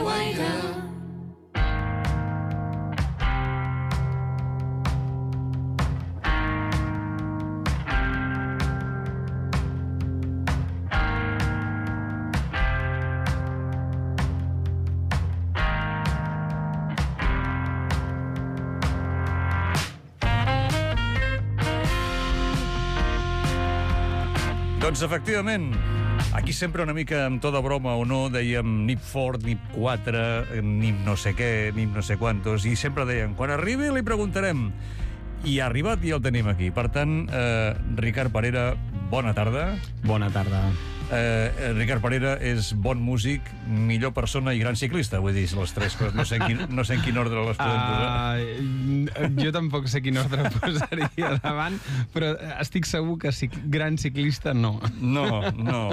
Guaire. Doncs efectivament, aquí sempre una mica amb tota broma o no, dèiem NIP Ford, NIP 4, NIP no sé què, NIP no sé quantos, i sempre deien, quan arribi li preguntarem. I ha arribat i el tenim aquí. Per tant, Ricard Parera, bona tarda. Bona tarda. Ricard Parera és bon músic, millor persona i gran ciclista, vull dir, les tres coses. No sé en quin ordre les podem posar. Jo tampoc sé quin ordre posaria davant, però estic segur que gran ciclista no. No.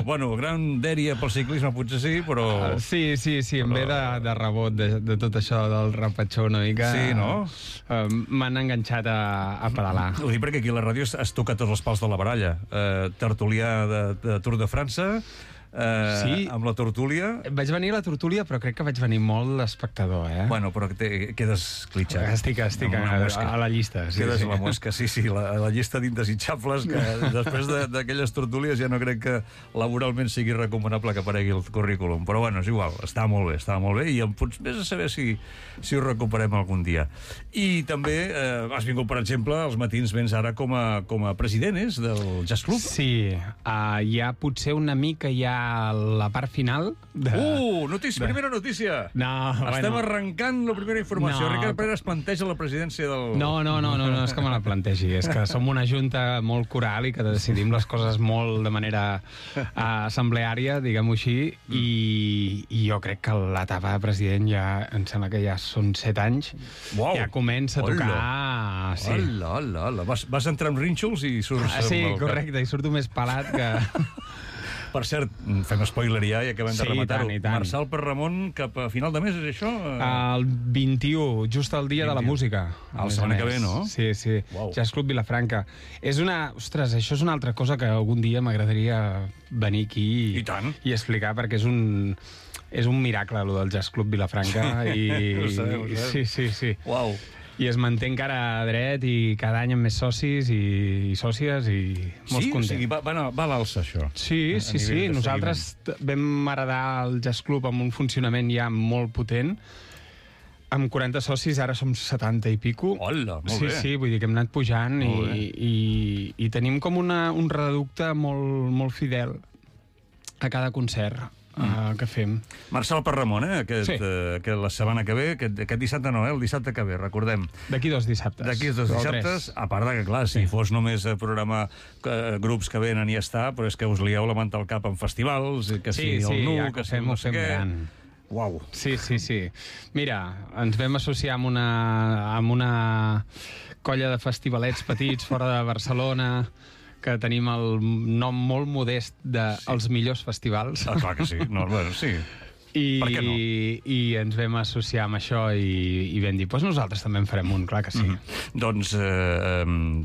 Bueno, gran dèria pel ciclisme potser sí, però... Sí, em ve de rebot de tot això del repatxó una mica. Sí, no? M'han enganxat a pedalar. Ho dic perquè aquí a la ràdio es toca tots els pals de la baralla. Tertulià de Tour de França, sí, amb la tertúlia. Vaig venir a la tertúlia, però crec que vaig venir molt espectador, Bueno, però quedes clitxat. Estic a la llista. Quedes a la mosca, sí, la llista d'indesitjables, que després d'aquelles tertúlies ja no crec que laboralment sigui recomanable que aparegui el currículum. Però bueno, és igual, està molt bé, i em pots més a saber si ho recuperem algun dia. I també has vingut, per exemple, als matins vens ara com a president, del Jazz Club. Sí, hi ha potser una mica ja la part final primera notícia. Estem arrencant la primera informació. Ricard Parera es planteja la presidència del... No, és que me la plantegi. És que som una junta molt coral i que decidim les coses molt de manera assembleària, diguem-ho així, i jo crec que l'etapa de president ja, em sembla que ja són 7 anys, ja comença a tocar... Hola. Vas entrar amb rínxols i surts... Sí, correcte, i surto més pelat que... Per cert, fem spoiler ja i acabem de rematar-ho. Marçal per Ramon cap a final de mes, és això? El 21, just el dia de la música. La setmana que ve, no? Sí. Wow. Jazz Club Vilafranca. Ostres, això és una altra cosa que algun dia m'agradaria venir aquí i explicar, perquè és un miracle, allò del Jazz Club Vilafranca. Ho sabeu. Sí. Uau. I es manté encara dret i cada any amb més socis i sòcies i molt content. Sí, va a l'alça, això. Sí. Nosaltres vam heredar el Jazz Club amb un funcionament ja molt potent. Amb 40 socis, ara som 70 i pico. Hola, molt bé. Sí, vull dir que hem anat pujant i tenim com un reducte molt fidel a cada concert que fem. Marçal per Ramon, que la setmana que ve, aquest dissabte no, el dissabte que ve, recordem. D'aquí 2 dissabtes. D'aquí 2 dissabtes, a part de que, clar, si fos només programar grups que venen i ja està, però és que us lieu la manta al cap en festivals, que si el NU, que si no sé què... Uau. Sí. Mira, ens vam associar amb una colla de festivalets petits fora de Barcelona, que tenim el nom molt modest dels millors festivals. Clar que sí. Sí. Per què no? I ens vam associar amb això i vam dir, nosaltres també en farem un, clar que sí. Doncs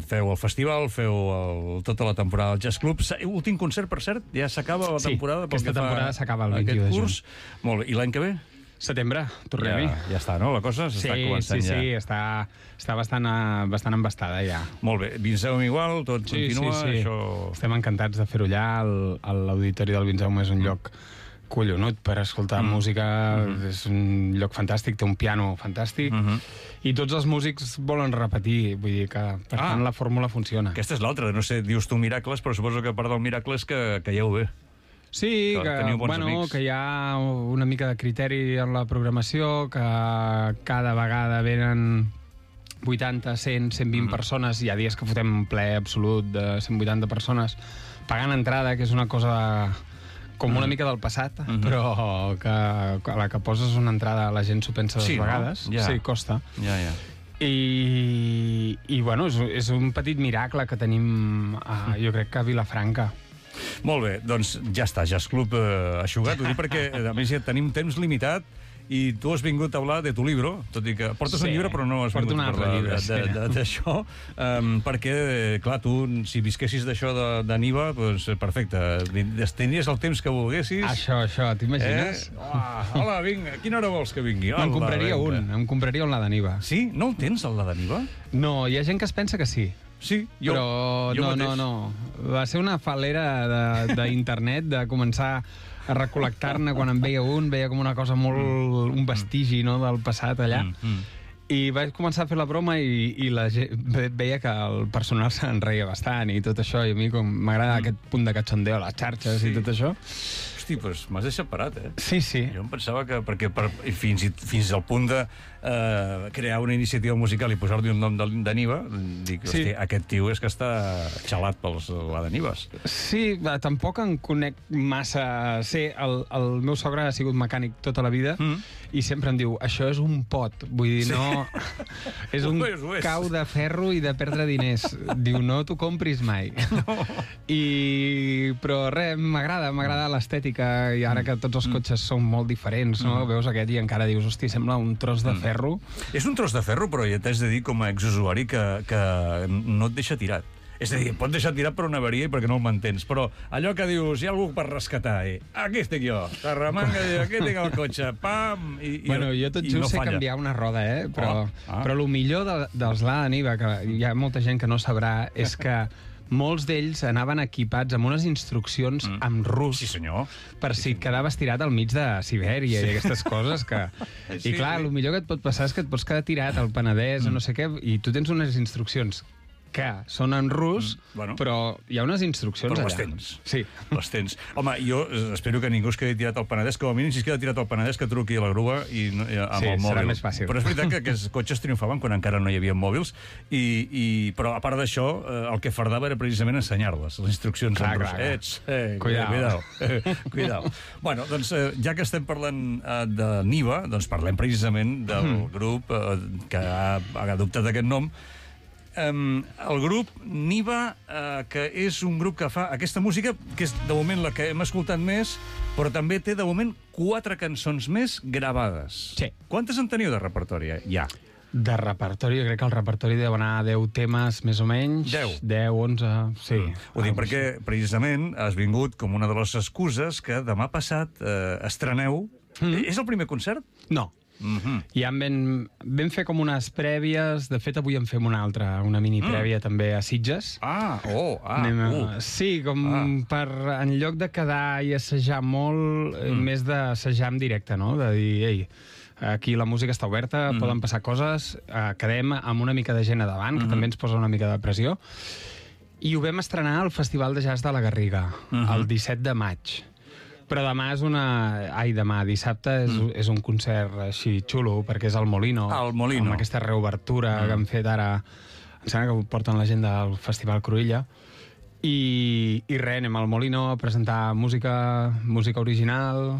feu el festival, feu tota la temporada del Jazz Club. Últim concert, per cert, ja s'acaba la temporada. Sí, aquesta temporada s'acaba el 21 de juny. Molt bé, i l'any que ve? Setembre, tornem-hi. Ja està, no? La cosa s'està començant ja. Sí, està bastant embastada ja. Molt bé, Vinzeu igual, tot continua. Sí. Això... Estem encantats de fer-ho allà. L'auditori del Vinzeu és un lloc collonut per escoltar música, és un lloc fantàstic, té un piano fantàstic, i tots els músics volen repetir, vull dir que per tant la fórmula funciona. Aquesta és l'altra, no sé, dius tu miracles, però suposo que part del miracle és que caieu bé. Sí, que hi ha una mica de criteri en la programació, que cada vegada venen 80, 100, 120 persones, hi ha dies que fotem ple absolut de 180 persones, pagant entrada, que és una cosa com una mica del passat, però que a la que poses una entrada la gent s'ho pensa 2 vegades. Sí, costa. I bueno, és un petit miracle que tenim, jo crec que a Vilafranca. Molt bé, doncs ja està, Jazz Club eixugat, ho dic perquè a més ja tenim temps limitat i tu has vingut a hablar de tu libro, tot i que portes un llibre però no has vingut a parlar d'això, perquè, clar, tu, si visquessis d'això de Niva, doncs perfecte, tenies el temps que volguessis. Això, t'imagines? Hola, vinga, a quina hora vols que vingui? Em compraria un la de Niva. Sí? No el tens, el de Niva? No, hi ha gent que es pensa que sí. Sí, però no. Va ser una falera d'internet de començar a recol·lectar-ne quan en veia com una cosa molt... un vestigi, no?, del passat allà. I vaig començar a fer la broma i la gent veia que el personal se'n reia bastant i tot això, i a mi com m'agrada aquest punt de cachondeo a les xarxes i tot això. Hosti, doncs m'has deixat parat, eh? Sí. Jo em pensava que... perquè fins al punt de crear una iniciativa musical i posar-li un nom de Niva, dic, hosti, aquest tio és que està xalat pels la de Nives. Sí, tampoc en conec massa. Sé, el meu sogre ha sigut mecànic tota la vida i sempre em diu, això és un pot. Vull dir, no... És un cau de ferro i de perdre diners. Diu, no t'ho compris mai. Però res, m'agrada l'estètica, i ara que tots els cotxes són molt diferents, no? Veus aquest i encara dius, hosti, sembla un tros de ferro. És un tros de ferro, però ja t'has de dir com a exusuari que no et deixa tirat. És a dir, pot deixar tirat per una avaria i perquè no el mantens, però allò que dius, hi ha algú per rescatar, aquí estic jo, t'arremanga, aquí tinc el cotxe, pam, bueno, jo tot just sé canviar una roda, però el millor dels Lada Niva, que hi ha molta gent que no sabrà, és que molts d'ells anaven equipats amb unes instruccions en rus. Sí, senyor. Per si quedaves tirat al mig de Sibèria i aquestes coses que... I clar, el millor que et pot passar és que et pots quedar tirat al Penedès o no sé què, i tu tens unes instruccions que són en rus, però hi ha unes instruccions allà. Però les tens. Sí. Les tens. Home, jo espero que ningú es quedi tirat al Penedès, com a mínim si es queda tirat al Penedès que truqui a la grua amb el mòbil. Sí, serà més fàcil. Però és veritat que aquests cotxes triomfaven quan encara no hi havia mòbils, però a part d'això, el que fardava era precisament ensenyar-les, les instruccions en rus. Cuidao. Bueno, doncs, ja que estem parlant de Niva, doncs parlem precisament del grup que ha adoptat aquest nom. El grup Niva, que és un grup que fa aquesta música, que és de moment la que hem escoltat més, però també té de moment 4 cançons més gravades. Sí. Quantes en teniu de repertori ja? De repertori, jo crec que el repertori deu anar a 10 temes, més o menys. 10? 10, 11, sí. Ho dic perquè, precisament, has vingut com una de les excuses que demà passat estreneu. És el primer concert? No. Ja vam fer com unes prèvies. De fet, avui en fem una altra, una mini prèvia també a Sitges. Sí, com per, en lloc de quedar i assajar molt, més d'assajar en directe, no? De dir, ei, aquí la música està oberta, poden passar coses, quedem amb una mica de gent a davant, que també ens posa una mica de pressió. I ho vam estrenar al Festival de Jazz de la Garriga, el 17 de maig. Però demà, dissabte, és un concert així xulo, perquè és al Molino. Al Molino. Amb aquesta reobertura que han fet ara. Em sembla que porten la gent del Festival Cruïlla. I res, anem al Molino a presentar música original,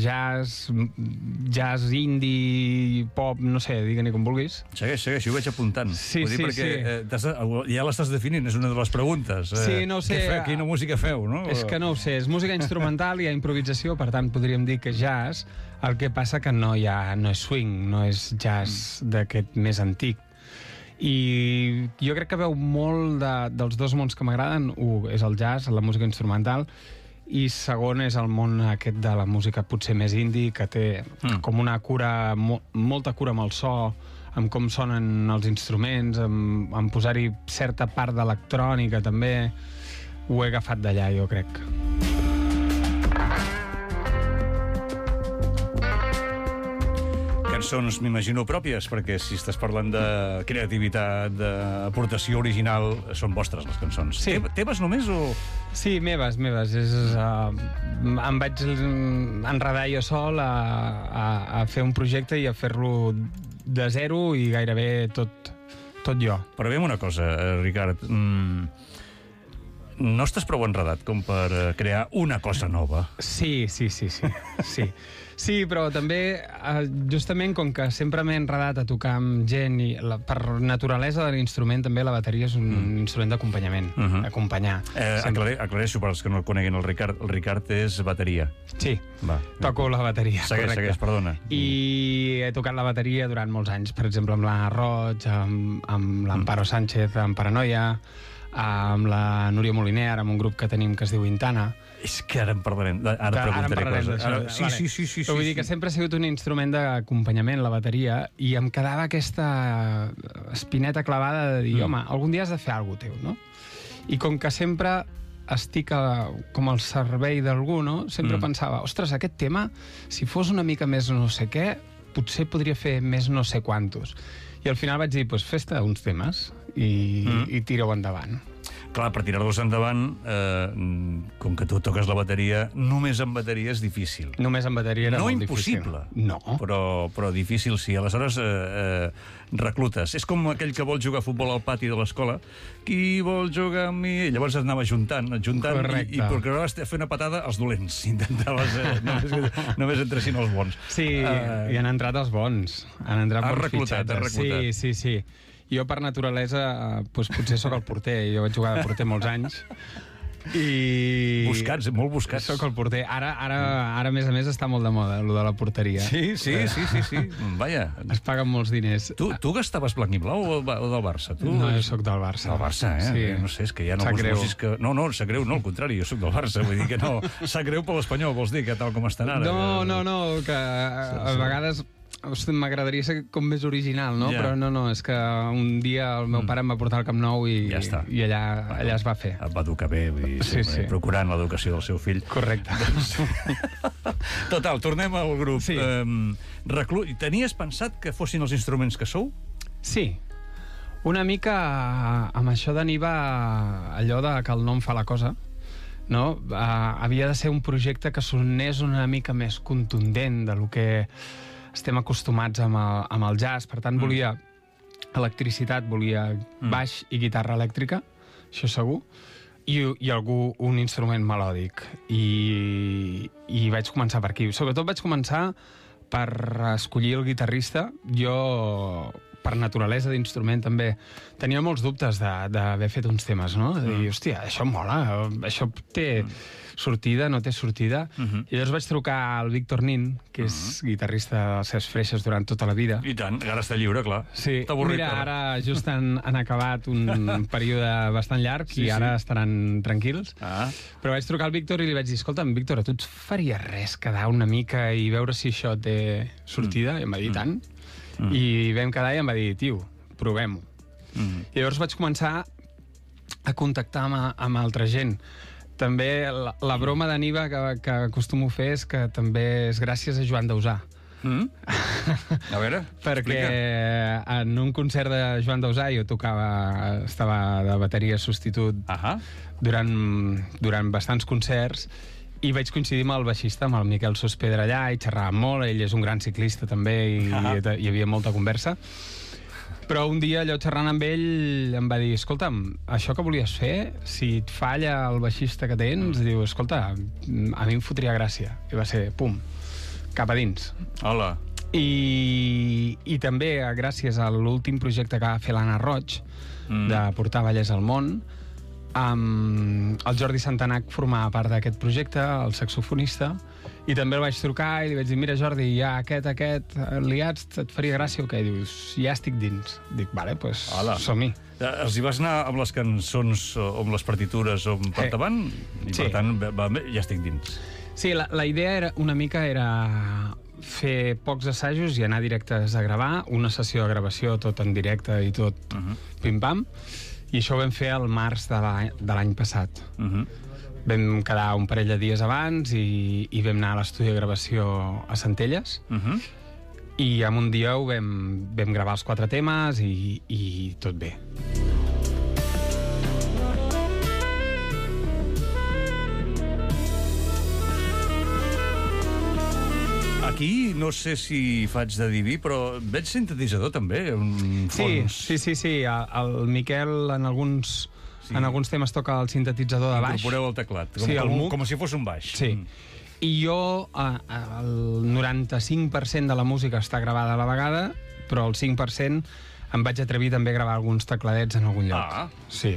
jazz indie, pop, no sé, digue-n'hi com vulguis. Segueix, ho vaig apuntant. Sí. Perquè ja l'estàs definint, és una de les preguntes. Sí, no ho sé. Quina música feu, no? És que no ho sé, és música instrumental, hi ha improvisació, per tant podríem dir que jazz, el que passa que no és swing, no és jazz d'aquest més antic. I jo crec que veu molt dels dos mons que m'agraden. Un és el jazz, la música instrumental, i segon és el món aquest de la música potser més indie, que té com una cura, molta cura amb el so, amb com sonen els instruments, amb posar-hi certa part d'electrònica també. Ho he agafat d'allà, jo crec. Cançons, m'imagino, pròpies, perquè si estàs parlant de creativitat, d'aportació original, són vostres, les cançons. Sí. Teves només o...? Sí, meves. Em vaig enredar jo sol a fer un projecte i a fer-lo de zero i gairebé tot jo. Però veiem una cosa, Ricard. no estàs prou enredat com per crear una cosa nova. Sí. Sí, però també, justament, com que sempre m'he enredat a tocar amb gent, i per naturalesa de l'instrument, també la bateria és un instrument d'acompanyament, acompanyar. Aclareixo per als que no coneguin el Ricard. El Ricard és bateria. Sí, toco la bateria, correcte. Segueix, perdona. I he tocat la bateria durant molts anys, per exemple, amb l'Anna Roig, amb l'Amparo Sánchez, amb Paranoia, amb la Núria Moliner, ara amb un grup que tenim que es diu Intana. És que ara en parlarem. Ara preguntaré coses. Sí. Vull dir que sempre ha sigut un instrument d'acompanyament, la bateria, i em quedava aquesta espineta clavada de dir, home, algun dia has de fer alguna cosa teu, no? I com que sempre estic com al servei d'algú, no? Sempre pensava, ostres, aquest tema, si fos una mica més no sé què, potser podria fer més no sé quantos. I al final vaig dir, doncs fes-te uns temes i tira-ho endavant. Clar, per tirar-los endavant, com que tu toques la bateria, només amb bateria és difícil. Només amb bateria era molt difícil. No impossible, no. Però difícil sí. Aleshores, reclutes. És com aquell que vol jugar a futbol al pati de l'escola. Qui vol jugar amb mi? I llavors es anava juntant correcte. i procuraves fer una patada als dolents. Intentaves només entressin els bons. Sí, i han entrat els bons. Han entrat bons fitxatges. Has reclutat. Sí. Jo, per naturalesa, potser sóc el porter. Jo vaig jugar de porter molts anys. Buscats, molt buscats. Sóc el porter. Ara, a més a més, està molt de moda, allò de la porteria. Sí. Vaja. Es paguen molts diners. Tu gastaves blanc i blau o del Barça? No, jo sóc del Barça. Del Barça, eh? Sí. No sé, és que hi ha alguns músics que... No, sap greu, no, al contrari, jo sóc del Barça. Vull dir que no... Sap greu per l'Espanyol, vols dir, que tal com estan ara. No, que a vegades... M'agradaria ser com més original, no? Yeah. Però no, és que un dia el meu pare em va portar al Camp Nou i allà es va fer. Et va educar bé, vull dir, sí. Procurant l'educació del seu fill. Correcte. Total, tornem al grup. Sí. Tenies pensat que fossin els instruments que sou? Sí. Una mica amb això d'Aniva, allò de que el nom fa la cosa, no? Havia de ser un projecte que sonés una mica més contundent de lo que estem acostumats amb el jazz. Per tant, volia electricitat, volia baix i guitarra elèctrica, això segur, i un instrument melòdic. I vaig començar per aquí. Sobretot vaig començar per escollir el guitarrista. Jo, per naturalesa d'instrument, també tenia molts dubtes d'haver fet uns temes, no? De dir, hòstia, això mola, això té sortida, no té sortida. I llavors vaig trucar al Víctor Nin, que és guitarrista dels Ses Freixes durant tota la vida. I tant, ara està lliure, clar. Sí, mira, ara just han acabat un període bastant llarg i ara estaran tranquils. Però vaig trucar al Víctor i li vaig dir, escolta'm, Víctor, a tu et faria res quedar una mica i veure si això té sortida? I em va dir, tant. I vam quedar i em va dir, tio, provem-ho. I llavors vaig començar a contactar amb altra gent. També la broma d'Aniva que acostumo a fer és que també és gràcies a Joan Dausà. A veure, perquè en un concert de Joan Dausà jo estava de bateria substitut durant bastants concerts i vaig coincidir amb el baixista, amb el Miquel Sospedra allà, i xerràvem molt, ell és un gran ciclista també i hi havia molta conversa. Però un dia, allò xerrant amb ell, em va dir, escolta'm, això que volies fer, si et falla el baixista que tens, diu, escolta, a mi em fotria gràcia. I va ser, pum, cap a dins. Hola. I també, gràcies a l'últim projecte que va fer l'Anna Roig, de portar ballers al món, el Jordi Santanac formava part d'aquest projecte, el saxofonista, i també el vaig trucar i li vaig dir, mira Jordi, ja aquest liats, et faria gràcia o què? I dius, ja estic dins. Dic, vale, doncs som-hi. Els hi vas anar amb les cançons o amb les partitures o per davant? I per tant, ja estic dins. Sí, la idea una mica era fer pocs assajos i anar directes a gravar, una sessió de gravació tot en directe i tot pim-pam, i això ho vam fer al març de l'any passat. Vam quedar un parell de dies abans i vam anar a l'estudi de gravació a Centelles i en un dia vam gravar els 4 temes i tot bé. Aquí no sé si faig de diví, però veig sintetitzador també, un fons. Sí. El Miquel en alguns En alguns temes toca el sintetitzador de baix. Incorporeu el teclat, com si fos un baix. Sí. I jo, el 95% de la música està gravada a la vegada, però el 5% em vaig atrevir també a gravar alguns tecladets en algun lloc. Sí.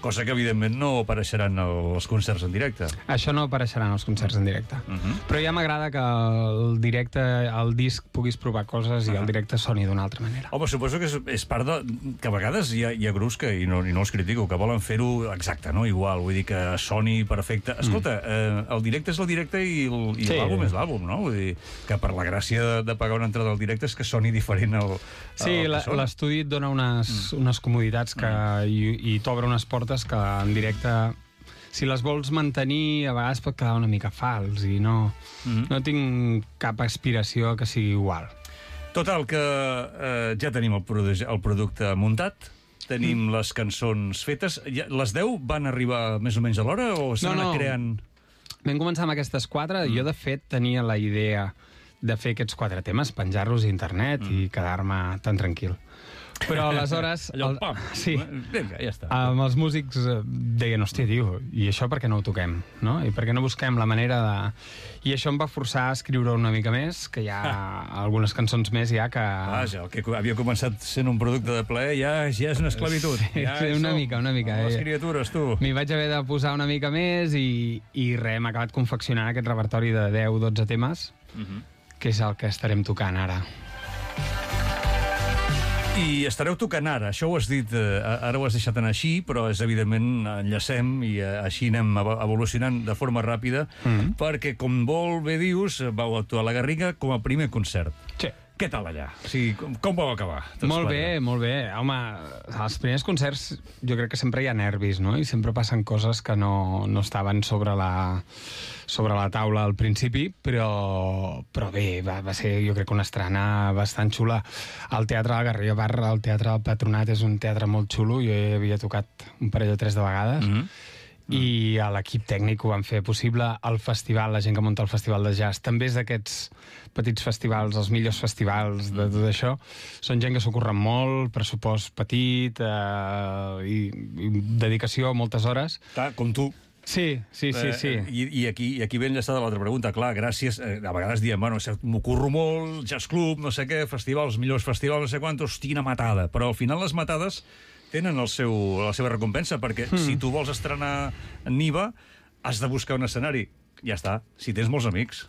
Cosa que, evidentment, no apareixeran als concerts en directe. Això no apareixerà en els concerts en directe. Però ja m'agrada que el directe, el disc, puguis provar coses i el directe soni d'una altra manera. Home, suposo que és part de... que a vegades hi ha grups que, i no els critico, que volen fer-ho exacte, no? Igual, vull dir que soni perfecte. Escolta, el directe és el directe i l'àlbum és l'àlbum, no? Vull dir que per la gràcia de pagar una entrada al directe és que soni diferent al Sí, l'estudi et dona unes comoditats i t'obre unes portes que en directe, si les vols mantenir, a vegades pot quedar una mica fals i no tinc cap aspiració que sigui igual. Total, que ja tenim el producte muntat, tenim les cançons fetes. Les 10 van arribar més o menys a l'hora o s'han anat creant? Vam començar amb aquestes 4. Jo, de fet, tenia la idea de fer aquests 4 temes, penjar-los a internet i quedar-me tan tranquil. Però aleshores... Sí. Vinga, ja està. Els músics deien, hòstia, tio, i això per què no ho toquem? No? I per què no busquem la manera de... I això em va forçar a escriure una mica més, que hi ha algunes cançons més ja que... Vaja, el que havia començat sent un producte de plaer ja és una esclavitud. Sí, una mica. Les criatures, tu. M'hi vaig haver de posar una mica més i res, hem acabat confeccionant aquest repertori de 10-12 temes, que és el que estarem tocant ara. I estareu tocant ara, això ho has dit, ara ho has deixat anar així, però és evidentment enllacem i així anem evolucionant de forma ràpida, perquè, com molt bé dius, vau actuar a la Garriga com a primer concert. Sí. Què tal allà? O sigui, com vau acabar? Molt bé, molt bé. Home, als primers concerts jo crec que sempre hi ha nervis, no? I sempre passen coses que no estaven sobre la taula al principi, però bé, va ser, jo crec, una estrena bastant xula. El Teatre de la Garriga Bar, el Teatre del Patronat, és un teatre molt xulo. Jo hi havia tocat un parell o 3 de vegades. I a l'equip tècnic ho van fer possible. El festival, la gent que munta el festival de jazz, també és d'aquests petits festivals, els millors festivals de tot això. Són gent que s'ho curren molt, pressupost petit i dedicació, moltes hores. Clar, com tu. Sí. I aquí ve enllaçada l'altra pregunta. Clar, gràcies, a vegades diem, bueno, m'ho curro molt, jazz club, no sé què, festivals, millors festivals, no sé quantos, quina matada. Però al final les matades tenen la seva recompensa, perquè si tu vols estrenar Niva, has de buscar un escenari. Ja està, si tens molts amics.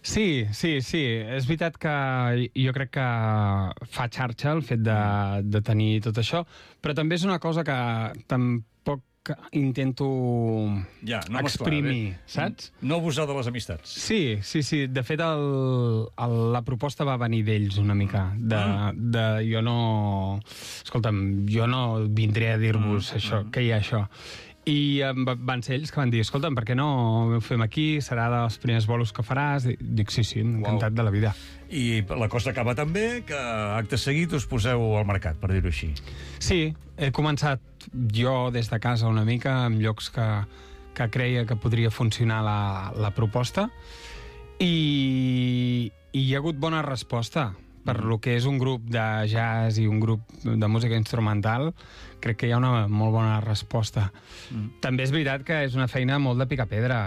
Sí. És veritat que jo crec que fa xarxa el fet de tenir tot això, però també és una cosa que tampoc intento exprimir, saps? No abusar de les amistats. Sí. De fet, la proposta va venir d'ells una mica. Jo no... Escolta'm, jo no vindré a dir-vos això, que hi ha això. I van ser ells que van dir, escolta'm, per què no ho fem aquí? Serà dels primers bolos que faràs? Dic, sí, encantat de la vida. I la cosa acaba també que acte seguit us poseu al mercat, per dir-ho així. Sí, he començat jo des de casa una mica, en llocs que creia que podria funcionar la proposta, i hi ha hagut bona resposta. Per lo que és un grup de jazz i un grup de música instrumental, crec que hi ha una molt bona resposta. També és veritat que és una feina molt de picar-pedra.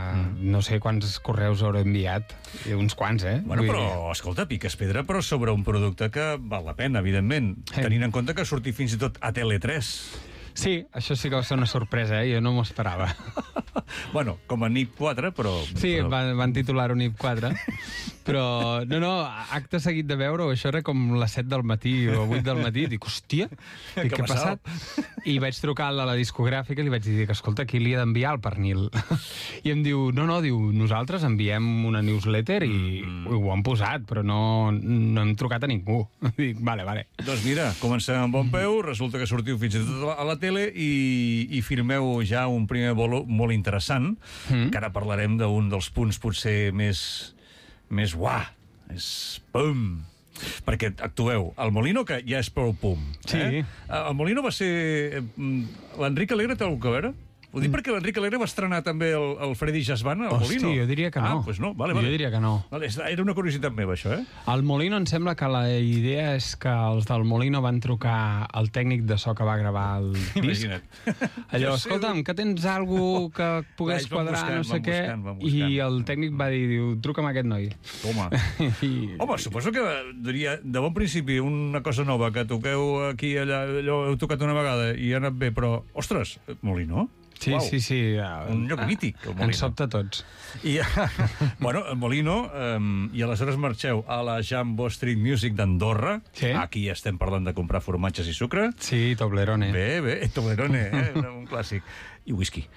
No sé quants correus hauré enviat. Uns quants, Bueno, però, escolta, piques pedra, però sobre un producte que val la pena, evidentment. Tenint en compte que surti fins i tot a Tele3. Sí, això sí que va ser una sorpresa, jo no m'ho esperava. Bueno, com a NIP 4, però... Sí, van titular-ho NIP 4. Però, no, acte seguit de veure-ho, això era com les 7 del matí o 8 del matí, dic, hòstia, què ha passat? I vaig trucar a la discogràfica i li vaig dir que, escolta, qui li ha d'enviar el pernil? I em diu, nosaltres enviem una newsletter i ho han posat, però no hem trucat a ningú. Dic, vale. Doncs mira, comencem amb bon peu, resulta que sortiu fins i tot a la tele i firmeu ja un primer bolo molt interessant, que ara parlarem d'un dels punts potser més pum, perquè actueu al Molino, que ja és prou pum. Sí. El Molino va ser... L'Enric Alegre té alguna cosa a veure? Ho dic perquè l'Enric Alegre va estrenar també el Freddy Jazz Band al Molino. Hosti, jo diria que no. Ah, doncs no, vale. Jo diria que no. Vale, era una curiositat meva, això, eh? Al Molino em sembla que la idea és que els del Molino van trucar al tècnic de so que va gravar el disc. Imagina't. Allò, escolta'm, que tens algú que pogués quadrar, no sé què, i el tècnic va dir, truca'm a aquest noi. Home, suposo que diria, de bon principi, una cosa nova, que toqueu aquí, allà, allò heu tocat una vegada i ha anat bé, però, ostres, Molino? Sí, Uau. sí. Un lloc mític, el Molino. Ens sobta tots. I, bueno, Molino, i aleshores marxeu a la Jambo Street Music d'Andorra. Sí. Aquí estem parlant de comprar formatges i sucre. Sí, Toblerone. Bé, Toblerone, un clàssic. I whisky.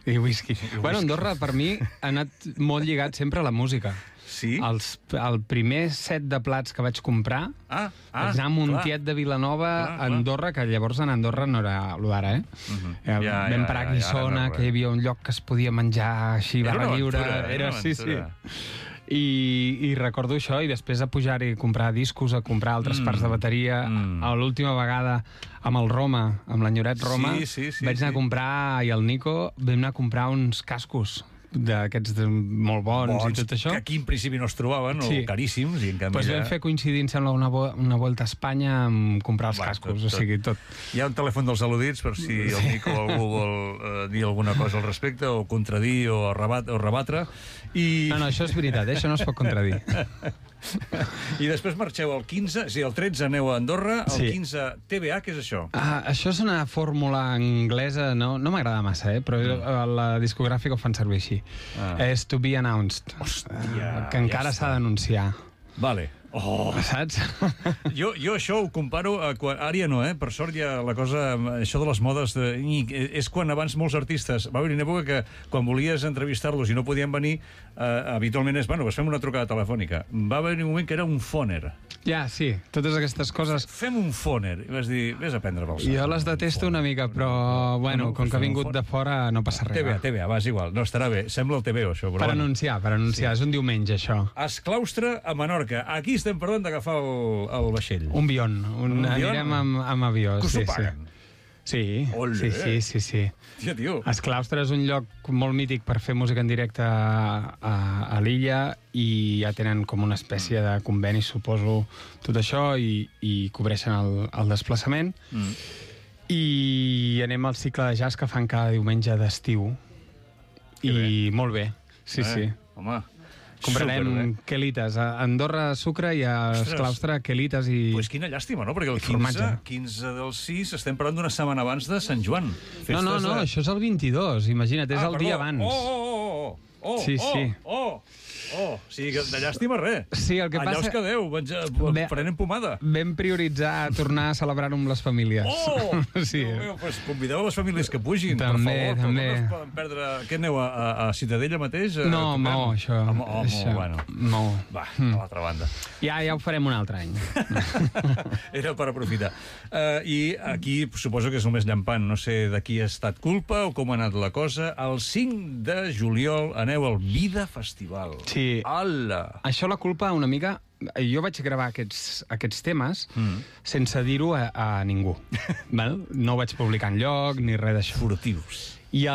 I whisky. Bueno, Andorra, per mi, ha anat molt lligat sempre a la música. Sí? El primer set de plats que vaig comprar vaig anar a Montiet de Vilanova, a Andorra, que llavors en Andorra no era allò d'ara, vam parar a Guissona, que hi havia un lloc que es podia menjar així, barra lliure. Sí. I recordo això, i després a pujar-hi a comprar discos, a comprar altres parts de bateria. L'última vegada amb el Roma, amb l'enyoret Roma, vaig anar a comprar, i el Nico, vam anar a comprar uns cascos d'aquests molt bons i tot això. Que aquí en principi no es trobaven, o caríssims, i en canvi... Doncs vam fer coincidir, em sembla, una volta a Espanya amb comprar els cascos, o sigui, tot. Hi ha un telèfon dels al·ludits per si el Nico o algú vol dir alguna cosa al respecte, o contradir, o rebatre. No, això és veritat, això no es pot contradir. I després marxeu el 15, el 13 aneu a Andorra, el 15 TBA, què és això? Això és una fórmula anglesa, no m'agrada massa, però la discogràfica ho fan servir així. És to be announced. Hòstia, que encara s'ha d'anunciar. Vale. Saps? Jo això ho comparo a quan... Ara ja no, per sort ja la cosa... Això de les modes... És quan abans molts artistes... Va haver una època que quan volies entrevistar-los i no podien venir, habitualment és, bueno, fem una trucada telefònica. Va haver un moment que era un fòner. Ja, sí, totes aquestes coses... Fem un fòner. I vas dir, vés a prendre pel sac. Jo les detesto una mica, però, bueno, com que ha vingut de fora no passa res. TBA, va, és igual. No, estarà bé. Sembla el TVO, això. Per anunciar. És un diumenge, això. Esclaustre a Menorca. Aquí estem parlant d'agafar el vaixell. Un bion. Anirem amb avió. Que us ho paguen? Sí. Tia, tio. Esclaustre és un lloc molt mític per fer música en directe a l'illa, i ja tenen com una espècie de conveni, suposo, tot això, i cobreixen el desplaçament. I anem al cicle de jazz que fan cada diumenge d'estiu. I molt bé. Sí. Home, comprarem quelites. A Andorra sucre, i a Esclaustre quelites i... Pues quina llàstima, no? Perquè el 15 del 6 estem parlant d'una setmana abans de Sant Joan. No, això és el 22, imagina't, és el dia abans. Sí. O sigui, de llàstima res. Sí, el que allà passa... us quedeu, prenent pomada. Vam prioritzar tornar a celebrar-ho amb les famílies. Sí. Pues convideu a les famílies que pugin, també, per favor. També. No es poden perdre... Què aneu, a Ciutadella mateix? No, això. Bueno. Va, a l'altra banda. Ja ho farem un altre any. Era per aprofitar. I aquí suposo que és el més llampant. No sé de qui ha estat culpa o com ha anat la cosa. El 5 de juliol aneu al Vida Festival. Sí. Això la culpa una mica... Jo vaig gravar aquests temes sense dir-ho a ningú. No ho vaig publicar enlloc ni res d'això. Furtius. I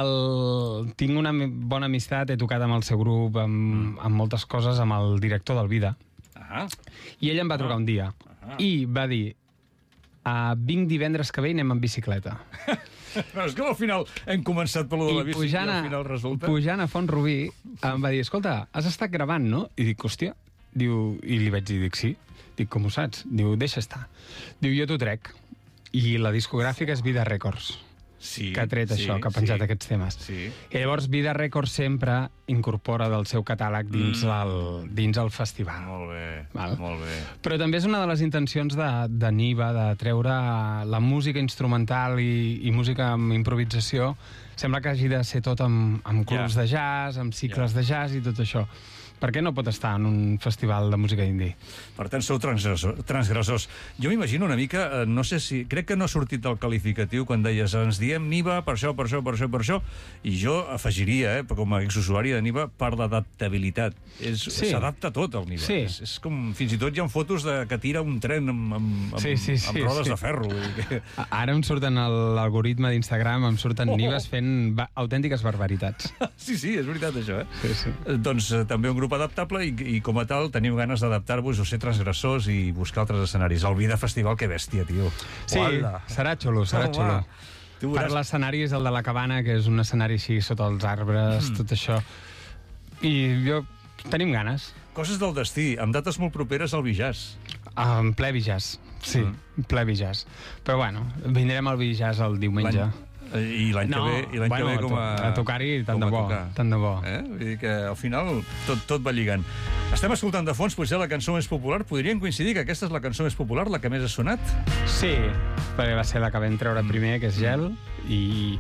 tinc una bona amistat, he tocat amb el seu grup, amb moltes coses, amb el director del Vida. I ell em va trucar un dia i va dir: vinc divendres que ve i anem en bicicleta. Però és que al final hem començat per lo de la bici i al final resulta... Pujant a Font-rubí em va dir: escolta, has estat gravant, no? I dic, hòstia. Diu, i li vaig dir, sí. Dic, com ho saps? Diu, deixa estar. Diu, jo t'ho trec. I la discogràfica és Vida Records. Que ha tret això, que ha penjat aquests temes. I llavors Vida Records sempre incorpora del seu catàleg dins el festival. Molt bé. Però també és una de les intencions de Niva, de treure la música instrumental i música amb improvisació. Sembla que hagi de ser tot amb clubs de jazz, amb cicles de jazz i tot això. Per què no pot estar en un festival de música indie? Per tant, sou transgressors. Jo m'imagino una mica, no sé si... Crec que no ha sortit el qualificatiu quan deies ens diem Niva per això, i jo afegiria, com a exusuari de Niva, per l'adaptabilitat. S'adapta tot al Niva. Sí. És com... Fins i tot hi ha fotos que tira un tren amb rodes de ferro. Ara em surten l'algoritme d'Instagram, em surten Nives fent autèntiques barbaritats. Sí, és veritat, això, Sí. Doncs també un grup adaptable i com a tal teniu ganes d'adaptar-vos o ser transgressors i buscar altres escenaris. El Vida Festival, que bèstia, tio. Sí, serà xulo. Per l'escenari és el de la Cabana, que és un escenari així sota els arbres, tot això. I tenim ganes. Coses del destí, amb dates molt properes al Bijàs. En ple Bijàs, sí, ple Bijàs. Però bueno, vindrem al Bijàs el diumenge. I l'any que ve com a tocar-hi tant de bo. Vull dir que al final tot va lligant. Estem escoltant de fons potser la cançó més popular. Podríem coincidir que aquesta és la cançó més popular, la que més ha sonat? Sí, perquè va ser la que vam treure primer, que és Gel, i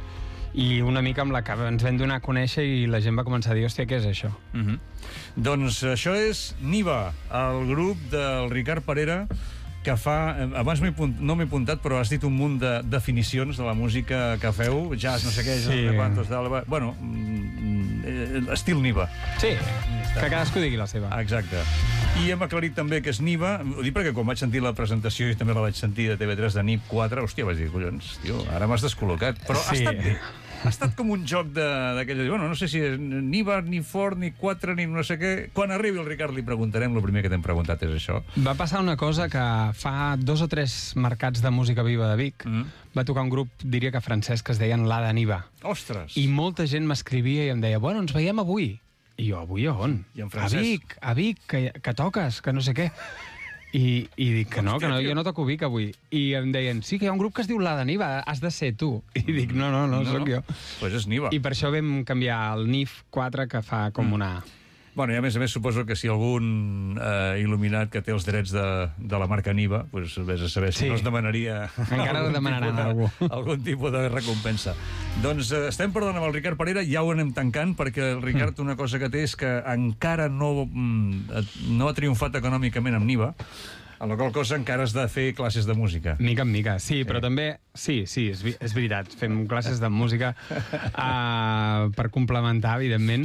una mica amb la que ens vam donar a conèixer i la gent va començar a dir, hòstia, què és això? Doncs això és Niva, el grup del Ricard Parera, que fa... Abans no m'he apuntat, però has dit un munt de definicions de la música que feu, jazz, no sé què, bueno, estil Niva. Sí, que cadascú digui la seva. Exacte. I hem aclarit també que és Niva, ho dic perquè quan vaig sentir la presentació i també la vaig sentir de TV3 de NIP 4, hòstia, vaig dir, collons, tio, ara m'has descol·locat. Però ha estat bé. Ha estat com un joc d'aquelles... Bueno, no sé si és ni bar, ni fort, ni 4, ni no sé què... Quan arribi el Ricard li preguntarem, el primer que t'hem preguntat és això. Va passar una cosa que fa 2 o 3 mercats de música viva de Vic va tocar un grup, diria que francès, que es deien l'Ada Niva. Ostres! I molta gent m'escrivia i em deia, bueno, ens veiem avui. I jo, avui on? I en francès? A Vic, que toques, que no sé què. I dic que no, jo no toco Vic avui. I em deien, sí, que hi ha un grup que es diu l'Ada Niva, has de ser tu. I dic, no, sóc jo. Pues és Niva. I per això vam canviar el NIF 4, que fa com una... Bueno, i a més suposo que si algun il·luminat que té els drets de la marca Niva, pues vés a saber si no es demanaria... Encara demanaran algun tipus de recompensa. Doncs estem parlant amb el Ricard Parera, ja ho anem tancant, perquè el Ricard una cosa que té és que encara no ha triomfat econòmicament amb Niva, a la qual cosa encara has de fer classes de música. Mica en mica, sí, però també... Sí, és veritat, fem classes de música per complementar, evidentment,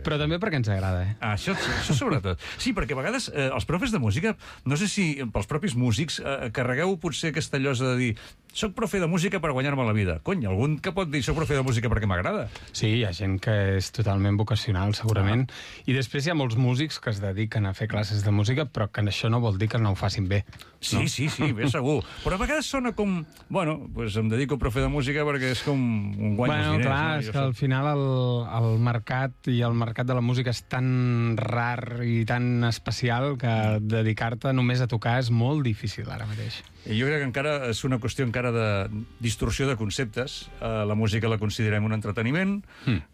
però també perquè ens agrada, Això sobretot. Sí, perquè a vegades els profes de música, no sé si pels propis músics, carregueu potser aquesta llosa de dir soc profe de música per guanyar-me la vida. Cony, algun que pot dir soc profe de música perquè m'agrada? Sí, hi ha gent que és totalment vocacional, segurament. I després hi ha molts músics que es dediquen a fer classes de música, però que això no vol dir que no ho facin bé. Sí, bé, segur. Però a vegades sona com... Bueno, doncs em dedico a profe de música perquè és com un guany dels diners. Clar, és que al final el mercat i el mercat de la música és tan rar i tan especial que dedicar-te només a tocar és molt difícil ara mateix. I jo crec que encara és una qüestió encara de distorsió de conceptes. La música la considerem un entreteniment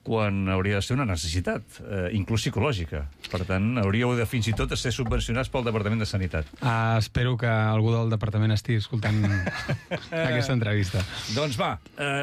quan hauria de ser una necessitat, inclús psicològica. Per tant, hauríeu de fins i tot ser subvencionats pel Departament de Sanitat. Espero que algú del departament estigui escoltant aquesta entrevista. Doncs va,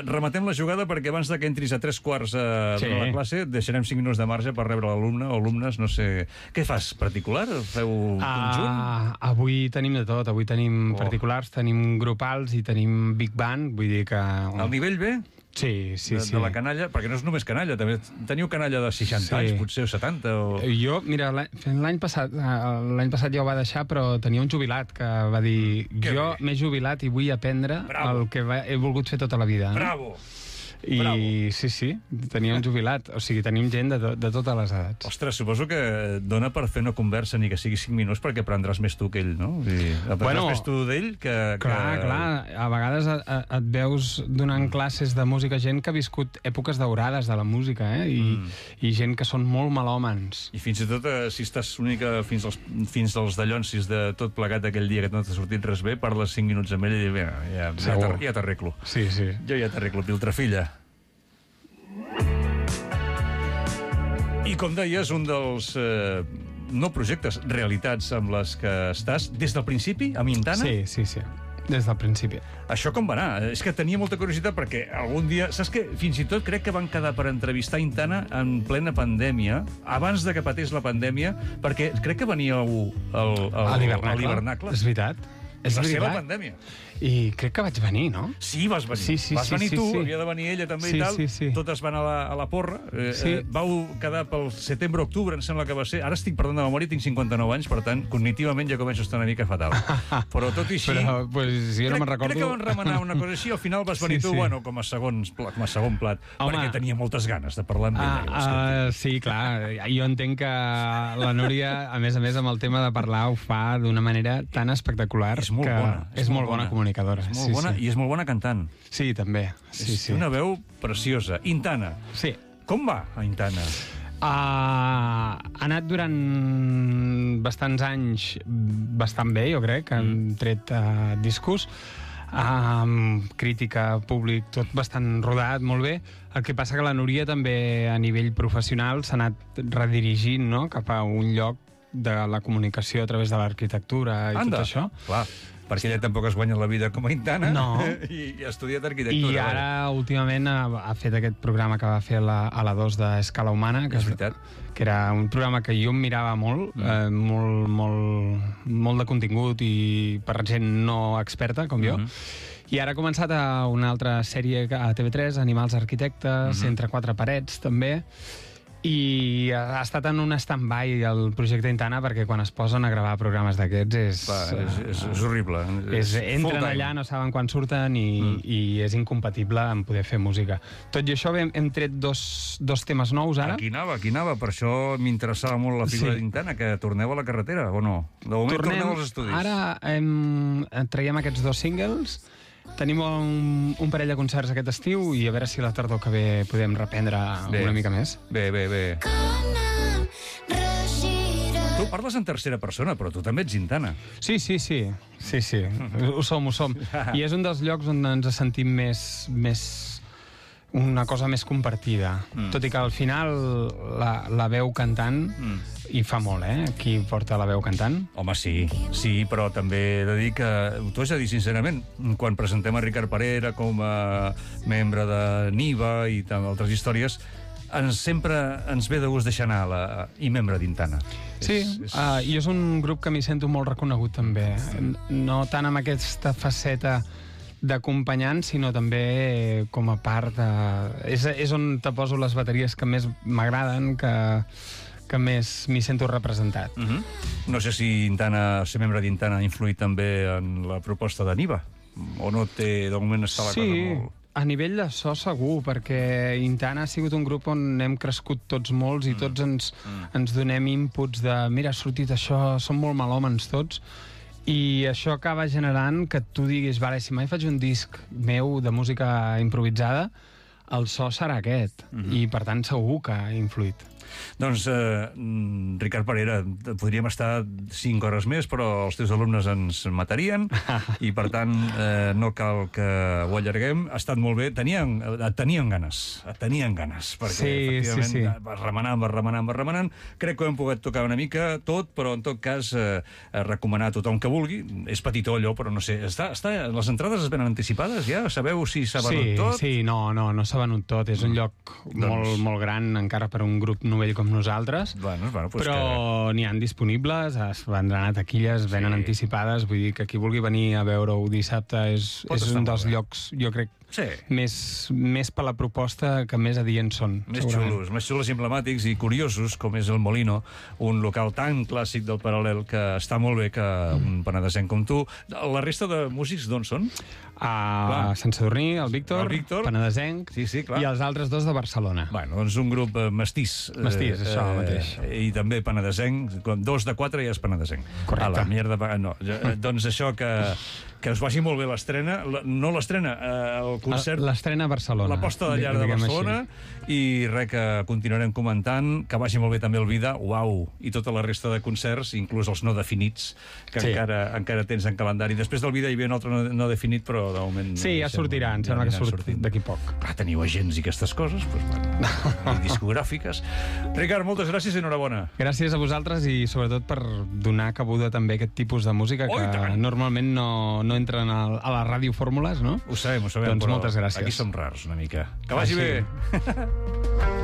rematem la jugada perquè abans que entris a 3/4 de la classe deixarem 5 minuts de marge per rebre l'alumne o alumnes, no sé... Què fas, particular? Feu conjunt? Avui tenim de tot, avui tenim particular, tenim grupals i tenim big band, vull dir que... El nivell bé? Sí. De la canalla, perquè no és només canalla, també teniu canalla de 60 anys, potser, o 70, o... Jo, mira, l'any passat ja ho va deixar, però tenia un jubilat que va dir jo m'he jubilat i vull aprendre el que he volgut fer tota la vida. Bravo! I sí, tenia un jubilat. O sigui, tenim gent de totes les edats. Ostres, suposo que dona per fer una conversa ni que sigui 5 minuts perquè aprendràs més tu que ell, no? Aprendràs més tu d'ell que... Clar. A vegades et veus donant classes de música gent que ha viscut èpoques daurades de la música, i gent que són molt melòmans. I fins i tot, si estàs una mica fins als dallonsis de tot plegat aquell dia que no t'ha sortit res bé, parles 5 minuts amb ell i dius, ja t'arreglo. Sí. Jo ja t'arreglo, Piltrafilla. I com deies, un dels no projectes, realitats amb les que estàs des del principi, a Mintana? Sí. des del principi. Això com va anar? És que tenia molta curiositat perquè algun dia... Saps què? Fins i tot crec que van quedar per entrevistar Intana en plena pandèmia, abans de que patés la pandèmia, perquè crec que veníeu a l'hivernacle. És veritat. És la seva pandèmia. I crec que vaig venir, no? Sí, vas venir. Vas venir tu, havia de venir ella també i tal. Totes van a la porra. Vau quedar pel setembre-octubre, em sembla que va ser. Ara estic perdent de memòria, tinc 59 anys, per tant, cognitivament ja començo a estar una mica fatal. Però tot i així... Però, pues, jo no me'n recordo... Crec que van remenar una cosa així, al final vas venir tu, bueno, com a segon plat, perquè tenia moltes ganes de parlar amb ella. Sí, clar. Jo entenc que la Núria, a més, amb el tema de parlar, ho fa d'una manera tan espectacular. És molt bona. És molt bona comunicadora. És molt bona i és molt bona cantant. Sí, també. És una veu preciosa. Intana. Sí. Com va, a Intana? Ha anat durant bastants anys bastant bé, jo crec, que han tret discos, crítica, públic, tot bastant rodat, molt bé. El que passa que la Núria també, a nivell professional, s'ha anat redirigint, no?, cap a un lloc de la comunicació a través de l'arquitectura i tot això. Clar. Perquè ella tampoc es guanya la vida com a Intana, no. I ha estudiat arquitectura. I ara, últimament, ha fet aquest programa que va fer a la 2 d'Escala Humana, que era un programa que jo em mirava molt, molt de contingut i per gent no experta, com jo. I ara ha començat una altra sèrie a TV3, Animals Arquitectes, Entre quatre parets, també. I ha estat en un stand-by el projecte Intana perquè quan es posen a gravar programes d'aquests és horrible. Entren allà, no saben quan surten i és incompatible amb poder fer música. Tot i això hem tret dos temes nous ara. Aquí anava. Per això m'interessava molt la figura d'Intana, que torneu a la carretera, o no? De moment torneu als estudis. Ara traiem aquests 2 singles. Tenim un parell de concerts aquest estiu i a veure si la tardor que ve podem reprendre una mica més. Bé. Tu parles en tercera persona, però tu també ets Intana. Sí. Ho som. I és un dels llocs on ens sentim més una cosa més compartida. Tot i que al final la veu cantant i fa molt, qui porta la veu cantant. Home, sí, però també he de dir que, t'ho has de dir sincerament, quan presentem a Ricard Parera com a membre de Niva i altres històries, sempre ens ve de gust deixar anar i membre d'Intana. Sí, i és un grup que m'hi sento molt reconegut també. No tant amb aquesta faceta d'acompanyant, sinó també com a part de... És on te poso les bateries que més m'agraden, que més m'hi sento representat. No sé si ser membre d'Intana ha influït també en la proposta de Niva, o no té, de moment està la cosa molt... Sí, a nivell de so segur, perquè Intana ha sigut un grup on hem crescut tots molts i tots ens donem inputs de mira, ha sortit això, som molt malòmens tots, i això acaba generant que tu diguis, vale, si mai faig un disc meu de música improvisada, el so serà aquest, i per tant segur que ha influït. Doncs, Ricard Parera, podríem estar 5 hores més, però els teus alumnes ens matarien, i per tant no cal que ho allarguem. Ha estat molt bé. Tenien ganes, perquè efectivament vas remenant. Crec que ho hem pogut tocar una mica tot, però en tot cas recomanar a tothom que vulgui. És petitó allò, però no sé. Les entrades es venen anticipades ja? Sabeu si s'ha venut tot? Sí, no s'ha venut tot. És un lloc molt gran, encara per un grup novell com nosaltres, però n'hi han disponibles, es vendran a taquilles, venen anticipades, vull dir que qui vulgui venir a veure-ho dissabte és un dels llocs, jo crec, més per la proposta que més adients són. Més xulos i emblemàtics i curiosos, com és el Molino, un local tan clàssic del Paral·lel que està molt bé que un penedesenc com tu. La resta de músics d'on són? A Sant Sadurní, el Víctor, penedesenc, i els altres 2 de Barcelona. Bueno, doncs un grup mestís. Mestís, això mateix. I també penedesenc, 2 de 4 ja és penedesenc. Correcte. Doncs això, que us vagi molt bé l'estrena, no l'estrena, el concert... L'estrena a Barcelona. La posta de llar de Barcelona, i res, que continuarem comentant, que vagi molt bé també el Vida, uau, i tota la resta de concerts, inclús els no definits, que encara tens en calendari. Després del Vida hi havia un altre no definit, però de moment... Sí, ja sortirà, em sembla que surt d'aquí poc. Teniu agents i aquestes coses, i discogràfiques. Ricard, moltes gràcies i enhorabona. Gràcies a vosaltres i sobretot per donar cabuda també a aquest tipus de música que normalment no no entren a les radiofórmules, no? Ho sabem, doncs però moltes gràcies. aquí som rars una mica. Que vagi bé!